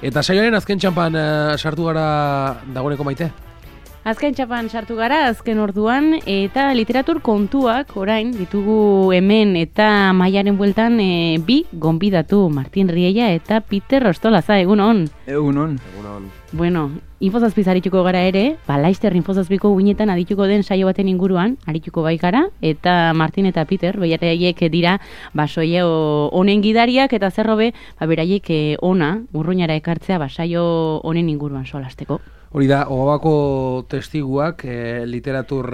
Eta saioaren azken txampan sartu gara dagoeneko Maite? Azken txapan sartu gara, azken orduan, eta literatur kontuak orain ditugu hemen eta Maiaren bueltan bi gonbidatu, Martin Riella eta Peter Ostolaza, egunon. Egunon. Bueno, Infozazpiz arituko gara ere, Laster Infozazpiko guinetan adituko den saio baten inguruan, arituko bai gara, eta Martin eta Peter, beraiek dira, saio honen gidariak, eta zerrobe, beraiek ona, urruñara ekartzea, saio honen inguruan solasteko. Hori da, Ogabako testiguak, literatur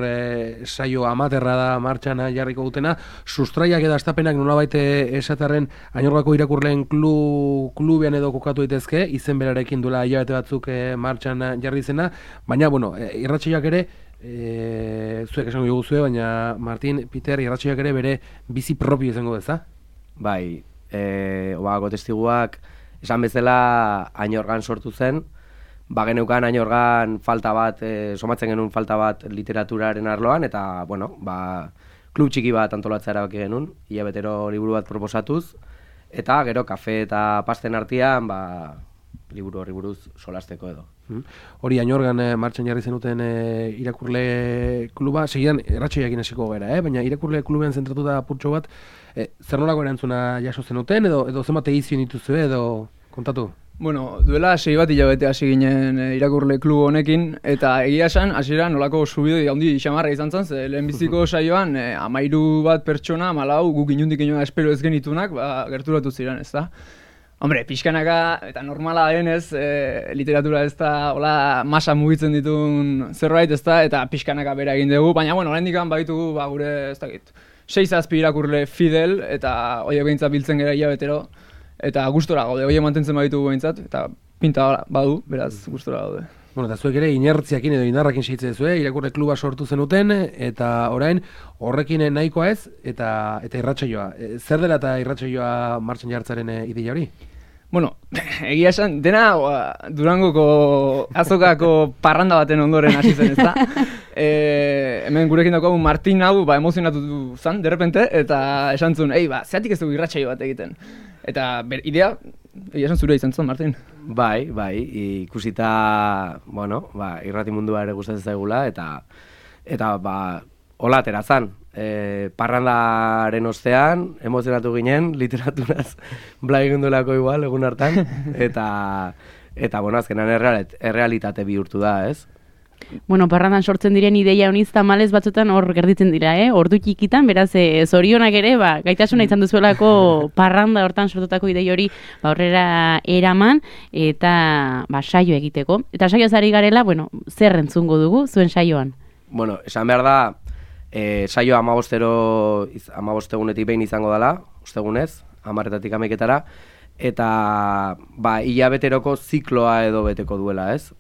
saio amaterra da martxan jarriko dutena, sustraiak eta astapenak nolabait esatarren Añorgako irakurleen klubean edo kokatu daitezke, izen berarekin duela hilabete batzuk martxan jarri zena, baina, bueno, irratsaioak ere, zuek esango dugu zue, baina Martin, Peter, irratsaioak ere bere bizi propio izango deza? Bai, Ogabako testiguak esan bezala Añorgan sortu zen, geneukan Añorgan falta bat, somatzen genuen falta bat literaturaren arloan, eta, bueno, klub txiki bat antolatzea erabaki genuen, hilabetero liburu bat proposatuz, eta gero kafe eta pasten artean, liburu horri buruz solasteko edo. Hori Añorgan martxan jarri zenuten irakurle kluba, segidan erratxoiakin hasiko gara, baina irakurle klubean zentratuta apurtxo bat, zer nolako erantzuna jaso zenuten, edo zenbat edizio dituzu edo kontatu? Bueno, duela 6 bat hilabete hasi ginen irakurle klubo honekin, eta egia esan, hasiera nolako subide handi xamarra izan zen, ze lehenbiziko saioan 13 bat pertsona, 14 guk inundik inoa espero ez genitunak, gerturatu ziren, ez da? Hombre, pixkanaka, eta normala denez, literatura ez da, hola, masa mugitzen ditun zerbait, ez da, eta pixkanaka bera egin dugu, baina, bueno, oraindik baditugu, gure, ez dakit, 6 irakurle fidel, eta horiek behintzat biltzen gara hilabetero, eta gustora gaude, horiek mantentzen baditugu behintzat, eta pinta badu, beraz, gustora gaude. Bueno, eta zuek ere inertziakin edo indarrakin segitzen zuen, irakurle kluba sortu zenuten, eta orain horrekin nahikoa ez, eta irratsaioa. Zer dela eta irratsaioa martxan jartzaren ideia hori? Bueno, egia esan, dena Durangoko azokako parranda baten ondoren hasi zen, ezta? Hemen gurekin daukagu Martin hau emozionatu zen, derrepente, eta esan zuen, zeatik ez dugu irratsaio bat egiten. Eta idea, egia esan zure izan zen, Martin? Bai, ikusita, bueno, irrati mundua ere gustatzen zaigula, eta hola atera zan. Parrandaren ostean, emozionatu ginen, literaturaz blaigundulako igual, egun hartan, eta bueno, azkenan errealitate bihurtu da, ez? Bueno, parrandan sortzen diren ideia honiz tamalez batzutan hor gerditzen dira, ordu txikitan, beraz, zorionak ere, gaitasuna izan duzuelako parranda hortan sortutako idei hori aurrera eraman, eta saio egiteko. Eta saio zari garela, bueno, zer entzungo dugu zuen saioan? Bueno, esan behar da, saioa 15 egunetik behin izango dela, ostegunez, 10-etatik 11-etara, eta hilabeteroko zikloa edo beteko duela, ez?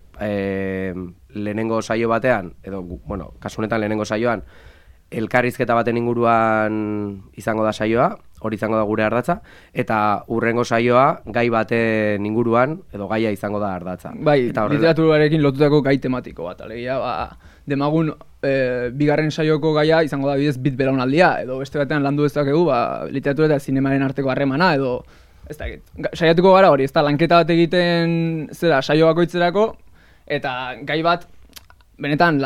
Lehenengo saio batean, edo, bueno, kasu honetan lehenengo saioan, elkarrizketa baten inguruan izango da saioa, hori izango da gure ardatza, eta hurrengo saioa gai baten inguruan, edo gaia izango da ardatza. Bai, literaturarekin lotutako gai tematiko bat, alegia, demagun bigarren saioko gaia izango da bidez bit belaunaldia, edo beste batean landu dezakegu, literatura eta zinemaren arteko harremana, edo, ez da, saiatuko gara hori, ez da, lanketa bat egiten zera saio bakoitzerako, eta gai bat, benetan,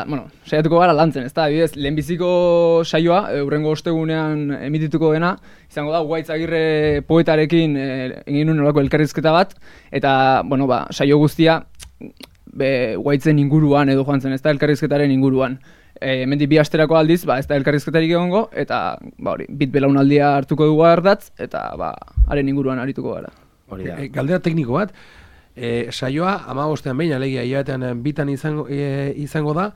saiatuko gara lantzen, ez da, bidez, lehenbiziko saioa, hurrengo ostegunean emitituko dena, izango da, Ugaitz Agirre poetarekin egin nuen olako elkarrizketa bat, eta, bueno, saio guztia, Ugaitzen inguruan edo joan zen, ez da, elkarrizketaren inguruan. Hemendik 2 asterako aldiz, ez da elkarrizketarik egongo, eta, bit belaunaldia hartuko dugu ardatz, eta, haren inguruan arituko gara. Galdera tekniko bat, saioa 15ean behin, alegia, hilabetean bitan izango da,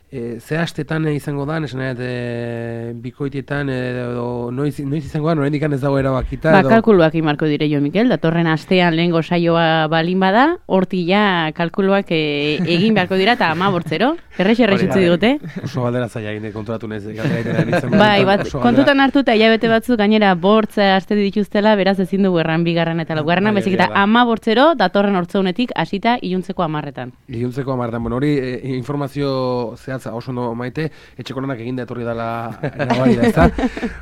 ze astetan izango da, esan bikoitietan, edo noiz izango da, norendik ez dago erabakita. Kalkuluak imarko dire jo, Mikel, datorren astean lehengo saioa balin bada, horti ja kalkuluak egin beharko dira, eta 15, errexe digute. Oso galdera zaila egin konturatu nez. Bai, kontutan hartu eta hilabete batzuk gainera bortz aste dituztela, beraz ezin dugu erran bigarren eta laugarrena, bezik eta 15 datorren hortzeunetik hasita iluntzeko 10etan. Iluntzeko 10etan, bueno, hori informazio zehaz beraz, oso ondo maite, etxeko lanak eginda etorri dela nabari da, ezta?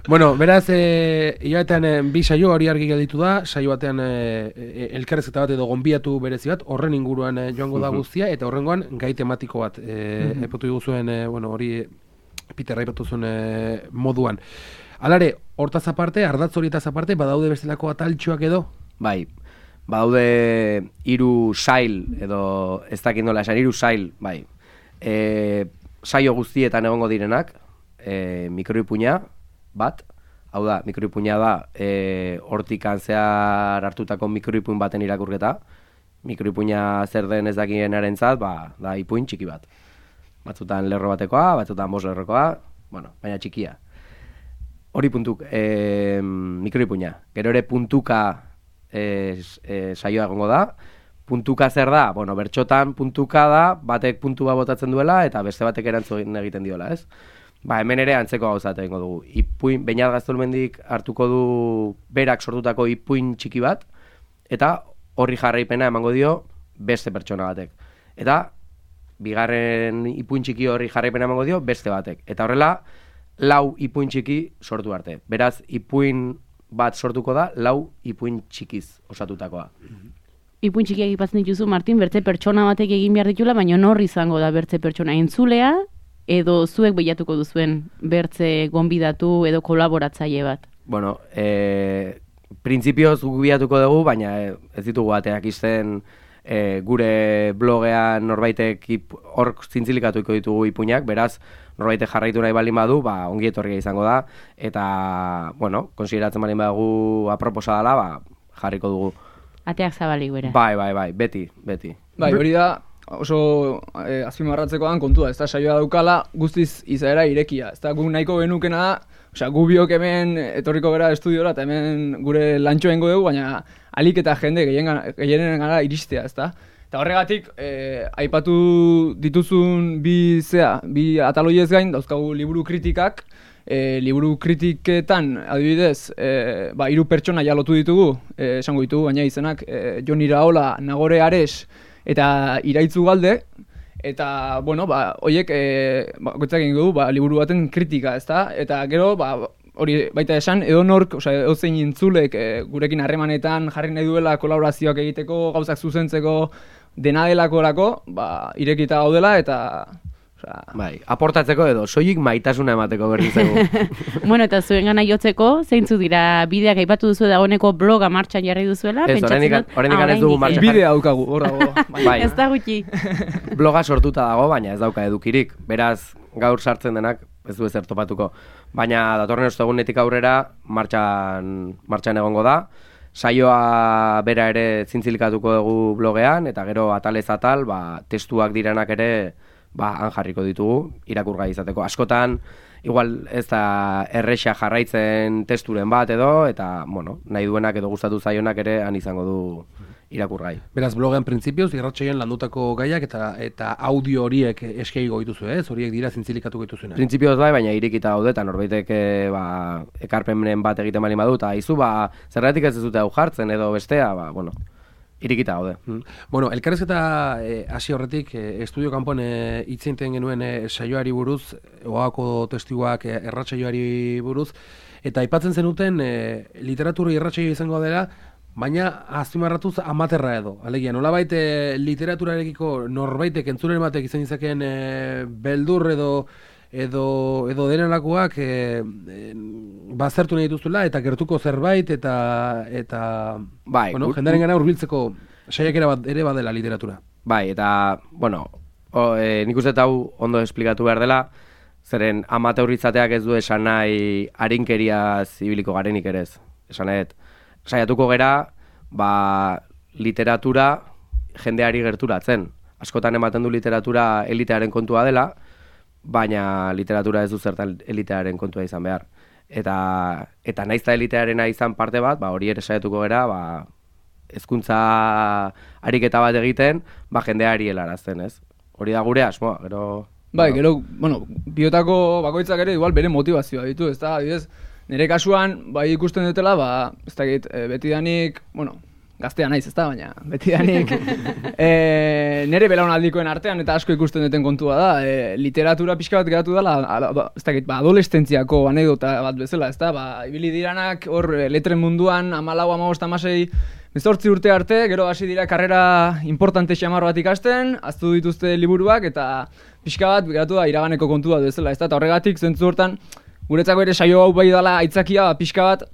Bueno, beraz, hilabetean bi saio hori argi gelditu da, saio batean elkarrezketa bat edo gonbiatu berezi bat, horren inguruan joango da guztia, eta horrengoan gai tematiko bat, epatu diguzuen, hori Peter aipatu zuen moduan. Alare, hortaz aparte, ardatz horietaz aparte, badaude bestelako ataltxoak edo? Bai, badaude 3 sail, edo ez dakit nola esan, 3 sail, bai. Saio guztietan egongo direnak, mikroipuina bat, hau da, mikroipuina da, hortik zehar hartutako mikroipuin baten irakurketa. Mikroipuina zer den ez dakienaren da ipuin txiki bat. Batzutan lerro batekoa, batzutan 5 lerrokoa, bueno, baina txikia. Hori mikroipuina. Gero ere puntuka saioa egongo da. Puntuka zer da? Bueno, bertxotan puntuka da, batek puntua botatzen duela eta beste batek erantzun egiten diola, ez? Ba, hemen ere antzeko gauzat egingo dugu. Ipuin, Beñat Gaztolmendik hartuko du berak sortutako ipuin txiki bat, eta horri jarraipena emango dio beste pertsona batek. Eta bigarren ipuin txiki horri jarraipena emango dio beste batek. Eta horrela, 4 ipuin txiki sortu arte. Beraz, ipuin bat sortuko da, 4 ipuin txikiz osatutakoa. Ipuin txikiak ipatzen dituzu, Martin, bertze pertsona batek egin behar ditula, baina nor izango da bertze pertsona entzulea, edo zuek bilatuko duzuen bertze gonbidatu edo kolaboratzaile bat? Bueno, printzipioz bilatuko dugu, baina ez ditugu bateak izten gure blogean norbaitek hor zintzilikatuko ditugu ipuinak, beraz, norbaitek jarraitu nahi baldin badu, ongi etorria izango da, eta, bueno, konsideratzen baldin badugu aproposa dela, jarriko dugu. Ateak zabalik bera. Bai, beti. Bai, hori da, oso azpimarratzekoan kontua, ez da saioa daukala guztiz izaera irekia. Ez da gu nahiko genukena da, osea, gu biok hemen etorriko gara estudiora eta hemen gure lantxo egingo dugu, baina alik eta jende gehienen gara iristea, ez da? Eta horregatik, aipatu dituzun bi ataloiez gain, dauzkagu liburu kritikak, liburu kritiketan, adibidez, 3 pertsona jalotu ditugu, esango ditugu, baina izenak, Jon Iraola, Nagore Ares eta Iraitzu Galde, eta, bueno, horiek, goitzak egin dugu, liburu baten kritika, ezta? Eta gero, hori baita esan, edonork, edozein intzulek gurekin harremanetan jarri nahi duela kolaborazioak egiteko, gauzak zuzentzeko, dena delakorako, irekita gaudela, eta bai, aportatzeko edo, soilik maitasuna emateko berri zego. Bueno, eta zuen gana jotzeko, zeintzu dira bideak aipatu duzu dagoeneko bloga martxan jarri duzuela? Ez, horrendik ez dugu martxan jarri. Bidea daukagu, hor dago. Bai. Ez da gutxi. Bloga sortuta dago, baina ez dauka edukirik. Beraz, gaur sartzen denak ez du ezer topatuko. Baina datorren ostegunetik aurrera martxan egongo da. Saioa bera ere zintzilikatuko dugu blogean, eta gero atalez atal, testuak direnak ere han jarriko ditugu, irakurgai izateko. Askotan, igual ez da erresa jarraitzen testuren bat edo, eta, bueno, nahi duenak edo gustatu zaionak ere han izango du irakurgai. Beraz, blogean printzipioz, irratsaioan landutako gaiak eta audio horiek eskeigo dituzu, ez? Horiek dira zintzilikatuko dituzuena. Printzipioz bai, baina irikita daude, eta norbaitek ekarpenen bat egiten bali badu, eta izu, zergatik ez dute hau jartzen edo bestea, bueno, irikita gaude. Bueno, elkarrezketa hasi horretik, estudio kanpoan hitz egiten genuen saioari buruz, oako testiguak erratsaioari buruz, eta aipatzen zenuten literatura irratsaio izango dela, baina azpimarratuz amaterra edo. Alegia, nolabait literaturarekiko norbaitek entzulen batek izan izakeen beldur edo denelakoak bazertu nahi dituzula eta gertuko zerbait eta bai, bueno, jendaren gana hurbiltzeko saiak ere badela literatura. Bai, eta, bueno, nik uste hau ondo esplikatu behar dela, zeren amateurritzateak ez du esan nahi arinkeriaz ibiliko garenik ere ez. Esan nahi, saiatuko gera, literatura jendeari gerturatzen. Askotan ematen du literatura elitearen kontua dela, baina literatura ez du zertan elitearen kontua izan behar. Eta naiz da elitearena izan parte bat, hori ere saiatuko gera, hezkuntza ariketa bat egiten, jendeari helarazten, ez? Hori da gure asmoa, gero... Bai, gero, bueno, biotako bakoitzak ere igual bere motivazioa ditu, ez da, adibidez, nire kasuan, ikusten dutela, ez dakit, betidanik, bueno, gaztea naiz, ezta, baina betidanik nire belaunaldikoen artean eta asko ikusten duten kontua da, literatura pixka bat geratu dela, ez dakit, adolescentziako anekdota bat bezala, ezta, ibili diranak hor letren munduan 14, 15, 18 urte arte, gero hasi dira karrera importante xamar bat ikasten, aztu dituzte liburuak eta pixka bat geratu da iraganeko kontua bezala, ezta, eta horregatik zentzu hortan guretzako ere saio hau bai dela aitzakia pixka bat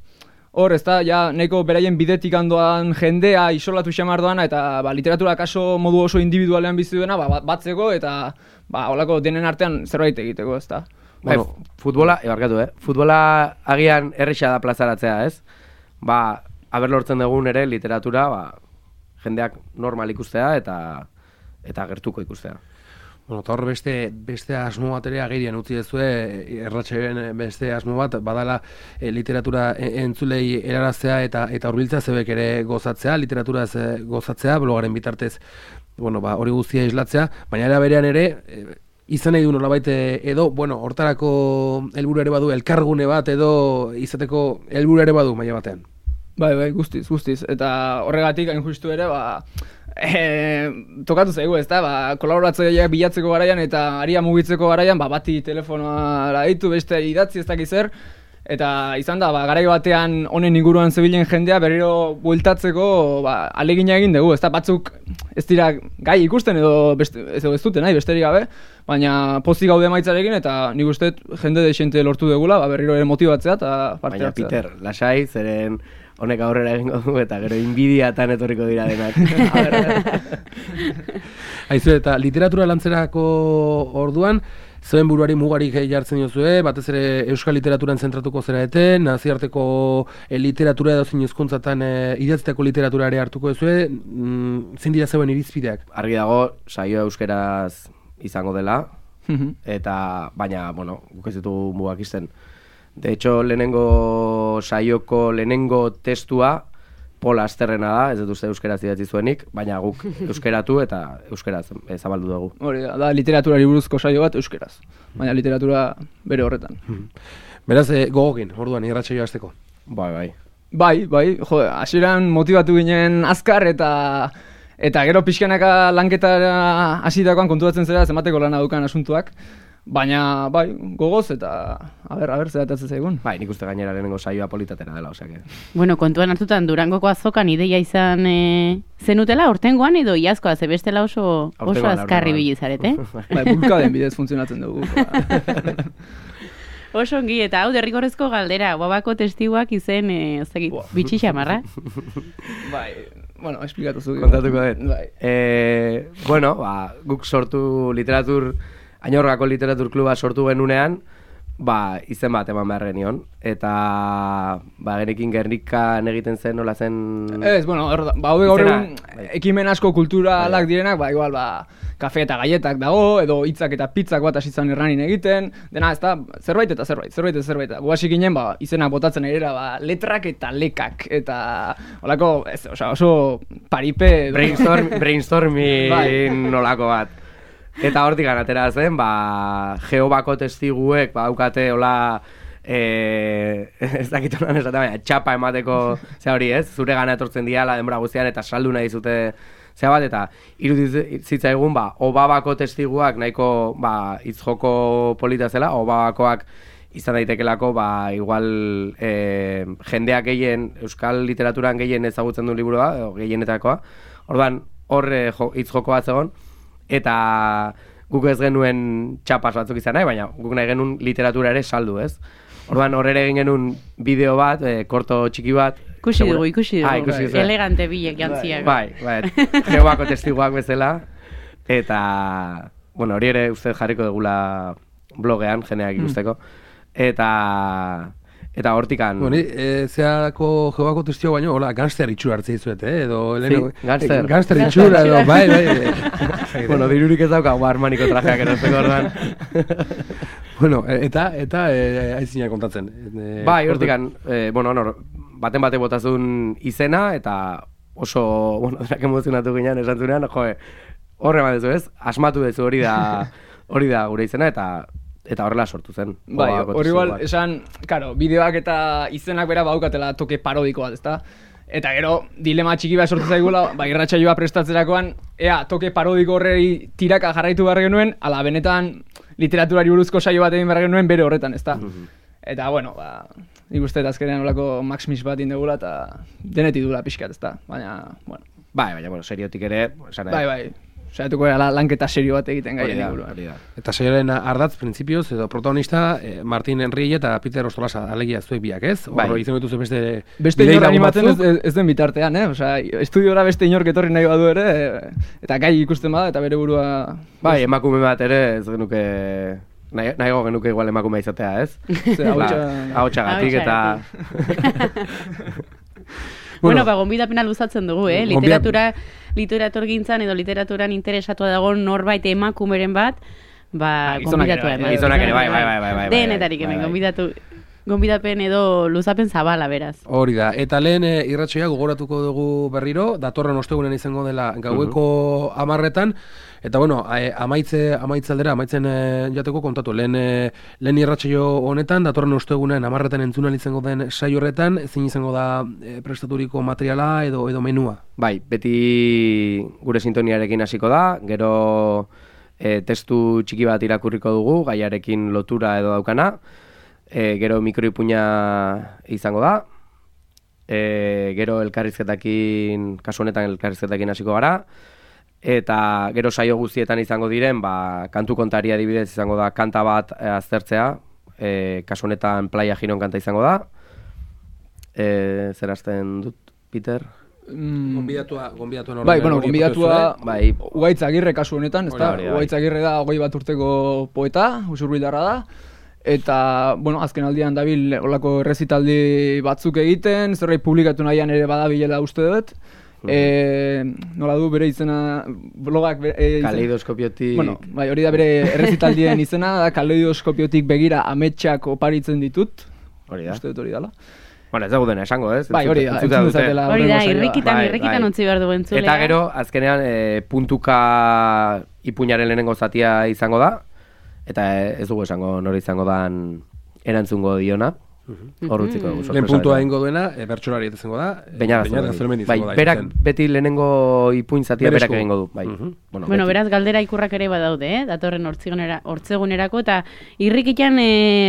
hor, ezta, ja, nahiko beraien bidetik handoan jendea isolatu xamar doana eta literatura kaso modu oso individualean bizi duena batzeko eta holako denen artean zerbait egiteko, ezta. Bueno, futbola, futbola agian erresa da plazaratzea, ez? Aber lortzen dugun ere literatura, jendeak normal ikustea eta gertuko ikustea. Bueno, eta hor beste asmo bat ere agerian utzi dezue, erratxeen beste asmo bat, badala literatura entzulei eraraztea eta hurbiltzea zebek ere gozatzea, literaturaz gozatzea, blogaren bitartez, hori guztia islatzea, baina era berean ere, izan nahi du nolabait edo, hortarako helburu ere badu, elkargune bat edo izateko helburu ere badu maila batean. Bai, guztiz. Eta horregatik hain justu ere, tokatu zaigu, ezta, kolaboratzaileak bilatzeko garaian eta aria mugitzeko garaian, bati telefonoa ditu, beste idatzi ez dakiz zer, eta izan da, garai batean honen inguruan zebilen jendea berriro bueltatzeko alegina egin dugu, ezta, batzuk ez dira gai ikusten edo ez dute nahi, besterik gabe, baina pozik gaude maitzarekin eta nik uste jende dexente lortu degula, berriro ere motibatzea eta parte hartzea. Baina Peter, lasai, zeren honek aurrera egingo du eta gero inbidiatan etorriko dira denak. Aizu, eta literatura lantzerako orduan, zuen buruari mugarik jartzen diozue, batez ere euskal literaturan zentratuko zera naziarteko literatura edo zin hizkuntzatan idatzitako literatura ere hartuko duzue, zein dira zeuen irizpideak? Argi dago, saio euskeraz izango dela, eta baina, guk ez ditugu mugak izten. De hecho, lehenengo saioko lehenengo testua Pola Asterrena da, ez dut uste euskeraz idatzi zuenik, baina guk euskeratu eta euskeraz zabaldu dugu. Hori da literaturari buruzko saio bat euskeraz, baina literatura bere horretan. Beraz, gogokin, orduan, irratsaioa hasteko. Bai, hasieran motibatu ginen azkar eta gero pixkanaka lanketa hasitakoan konturatzen zera zenbateko lana daukan asuntuak. Baina, gogoz eta aber zeratatzen zaigun. Nik uste gainera lehenengo saioa politatera dela, osake. Bueno, kontuan hartutan Durangoko azokan ideia izan zenutela, hortengoan edo iazkoa, zebestela oso azkarri bilizarete. Bulkaden bidez funtzionatzen dugu. Oso ongi, eta hau derrigorrezko galdera, Babako testiguak izen, bitxi xamarra. Esplikatu zuki. Kontatuko dut. Guk sortu Añorgako literatur kluba sortu genunean, izen bat eman behar genion. Eta genekin Gernikan egiten zen, nola zen... Ez, haude gaur egun ekimen asko kulturalak direnak, igual, kafe eta gaietak dago, edo hitzak eta pizzak bat asitzen erranin egiten, dena, ez da, zerbait. Guasik ginen, izenak botatzen erera, letrak eta lekak, eta olako, oso paripe... Brainstorming nolako bat. Eta hortik atera zen, Jehovako testiguek, daukate, hola, ez dakit honan esaten, baina txapa emateko, hori ez, zure gana etortzen diala denbora guztian, eta saldu nahi zute, bat, eta irudizitzaigun, Obabako testiguak nahiko, hitzjoko polita zela, Obabakoak izan daitekelako, igual, jendeak gehien, euskal literaturan gehien ezagutzen du liburua, gehienetakoa, orduan, hor hitzjoko bat zegoen, eta guk ez genuen txapas batzuk izan nahi, baina guk nahi genuen literatura ere saldu, ez? Orduan horre egin genuen bideo bat, korto txiki bat. Ikusi dugu, elegante bilek jantziak. Bai, Jehovako testiguak bezala, eta, hori ere uste jarriko dugula blogean, jeneak ikusteko, eta hortikan... Zeako Jehovako testigo baino, hola, gangster itxura hartzea izuet, edo... Gangster. Gangster itxura, edo, bai. Dirurik ez daukagu armaniko trajeak erosteko orduan. Eta aizina kontatzen. Hortikan, baten bate botazun izena, eta oso, denak emozionatu ginen, esan zunean, horre badezu ez, asmatu dezu hori da gure izena, eta horrela sortu zen. Hori igual, esan, bideoak eta izenak bera baukatela toke parodiko bat, ezta? Eta gero, dilema txiki bat sortu zaigula, irratsaioa prestatzerakoan, ea, toke parodiko horrei tiraka jarraitu behar genuen, ala benetan literaturari buruzko saio bat egin behar genuen bere horretan, ezta? Eta, bueno, nik uste azkenean olako Max Mix bat indegula eta denetik dula pixkat, ezta? Baina, bueno. Baina, bueno, seriotik ere... Bai. Saiatuko gara lanketa serio bat egiten gaien inguruan. Eta saioaren ardatz, printzipioz, edo protagonista, Martin Enrique eta Peter Ostolaza, alegia zuek biak, ez? Bai. Horro izan dituzu beste inor animatzen ez den bitartean, Osea, estudiora beste inork etorri nahi badu ere, eta gai ikusten bada, eta bere burua... Bai, emakume bat ere, ez genuke... Nahiago genuke igual emakumea izatea, ez? Ahotxagatik eta... Bueno, gonbidapena luzatzen dugu, literatur gintzan edo literaturan interesatua dago norbait emakumeren bat, gonbidatua eman. Gizonak ere, bai. Denetarik hemen, gonbidapen edo luzapen zabala, beraz. Hori da, eta lehen irratsaioa gogoratuko dugu berriro, datorren ostegunen izango dela gaueko 10:00, eta bueno, amaitzen jateko kontatu, lehen irratsaio honetan, datorren ostegunen 10:00 entzunal izango den saio horretan, zein izango da prestaturiko materiala edo menua? Bai, beti gure sintoniarekin hasiko da, gero testu txiki bat irakurriko dugu, gaiarekin lotura edo daukana, gero mikroipuina izango da, gero elkarrizketakin, kasu honetan elkarrizketakin hasiko gara, eta gero saio guztietan izango diren, kantu kontari adibidez izango da kanta bat aztertzea, kasu honetan Playa Giron kanta izango da, zer hasten dut, Peter? Gonbidatua Ugaitz Agirre kasu honetan, ezta? Ugaitz Agirre da 21 urteko poeta, usurbildarra da. Eta, bueno, azken aldian dabil olako errezitaldi batzuk egiten, zerbait publikatu nahian ere badabilela uste dut. Nola du bere izena, blogak... Kaleidoskopiotik... Bueno, bai, hori da bere errezitaldien izena, da kaleidoskopiotik begira ametsak oparitzen ditut. Hori da. Uste dut hori dala. Bueno, ez dago dena esango, ez? Bai, hori da, entzun dezatela. Hori da, irrikitan utzi behar dugu entzulea. Eta gero, azkenean, puntuka ipuñaren lehenengo zatia izango da, eta ez dugu esango nori izango dan erantzungo diona. Horrutziko dugu. Lehen puntua egingo duena, bertsolari ez izango da. Beñat Azurmendi izango da. Berak beti lehenengo ipuin zatia berak egingo du. Bueno, beraz, galdera ikurrak ere badaude, datorren hortzegunerako, eta irrikitan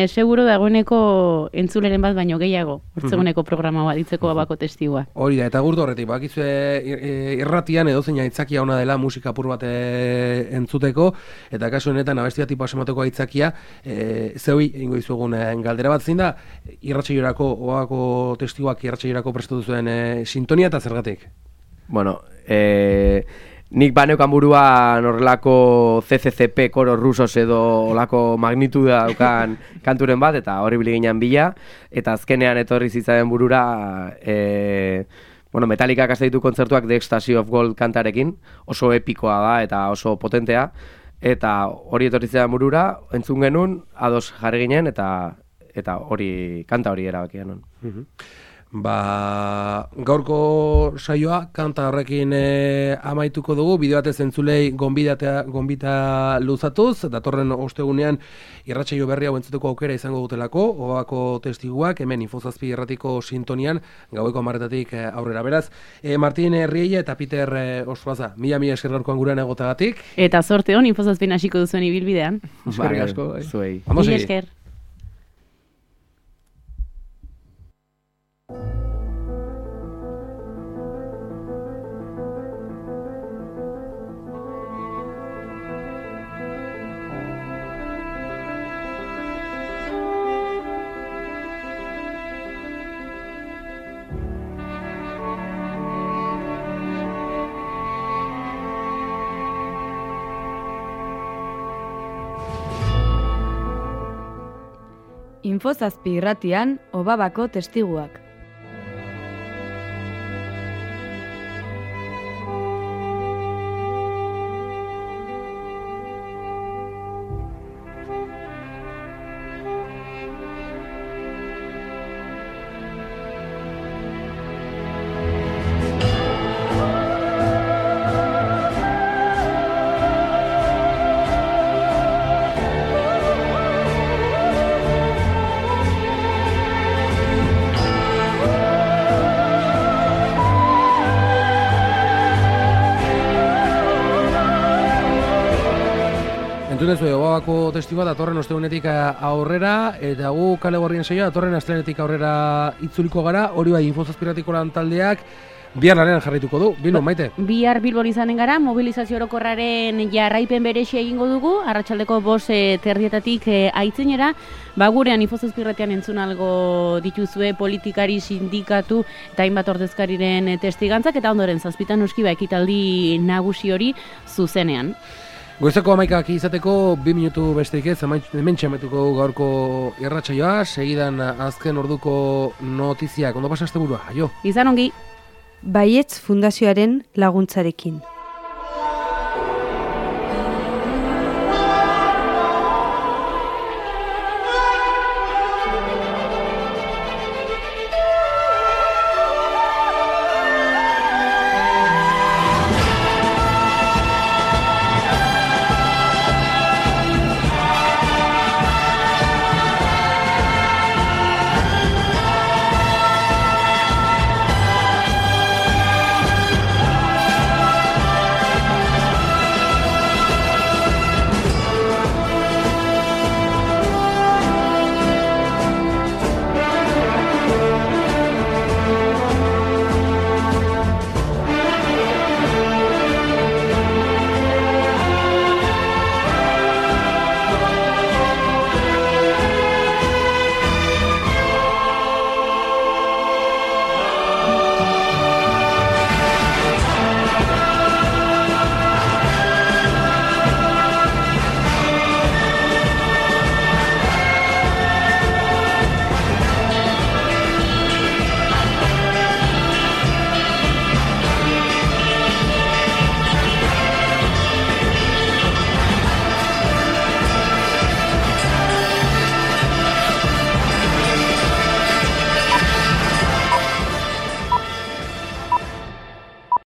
seguro dagoeneko entzuleren bat baino gehiago, hortzeguneko programa bat ditzeko abako testigua. Hori da, eta gurtu horretik, bakizue irratian edozein aitzakia ona dela musika apur bat entzuteko, eta kasu honetan abestia tipo asemateko aitzakia, zeui ingo izugun galdera bat zein da, irratsaioarako oako testiguak irratsaioarako prestatu zuen sintonia eta zergatik? Bueno, nik baneukan buruan horrelako CCCP koro rusos edo olako magnituda daukan kanturen bat, eta hori biliginan bila, eta azkenean etorri zitzaren burura Metallicak hasta ditu kontzertuak The Ecstasy of Gold kantarekin, oso epikoa da eta oso potentea, eta hori etorri zitzaren burura, entzun genuen, ados jarri ginen, eta hori, kanta hori erabakia non. Gaurko saioa kanta horrekin amaituko dugu, bideo batez entzulei gonbita luzatuz, datorren ostegunean irratsaio berria hau entzuteko aukera izango dutelako, obako testiguak, hemen Infozazpi irratiko sintonian, gaueko 10:00 aurrera. Beraz, Martin Rielle eta Peter Ostolaza, mila esker gaurkoan gurean egotagatik. Eta zorte hon, Infozazpin hasiko duzuen ibilbidean. Eskerrik asko. Zuei. Mila esker. Infozazpi irratian, Obabako testiguak. Entzun ez Obabako testigua datorren ostegunetik aurrera, eta gu Kale Gorrien saioa datorren astelenetik aurrera itzuliko gara, hori bai Infozazpirratiko lan taldeak bihar lanean jarraituko du. Bilbo, Maite? Bihar Bilbon izanen gara, mobilizazio orokorraren jarraipen berexia egingo dugu, arratsaldeko 5:00 aitzinera, gurean Infozazpirratian entzun algo dituzue politikari, sindikatu eta hainbat ordezkariren testigantzak, eta ondoren 7:00 noski ekitaldi nagusi hori zuzenean. Goizeko 11:00 izateko 2 minutu besterik ez, hemen txametuko gaurko irratsaioa, segidan azken orduko notiziak. Ondo pasa asteburua, aio. Izan ongi. Baietz Fundazioaren laguntzarekin.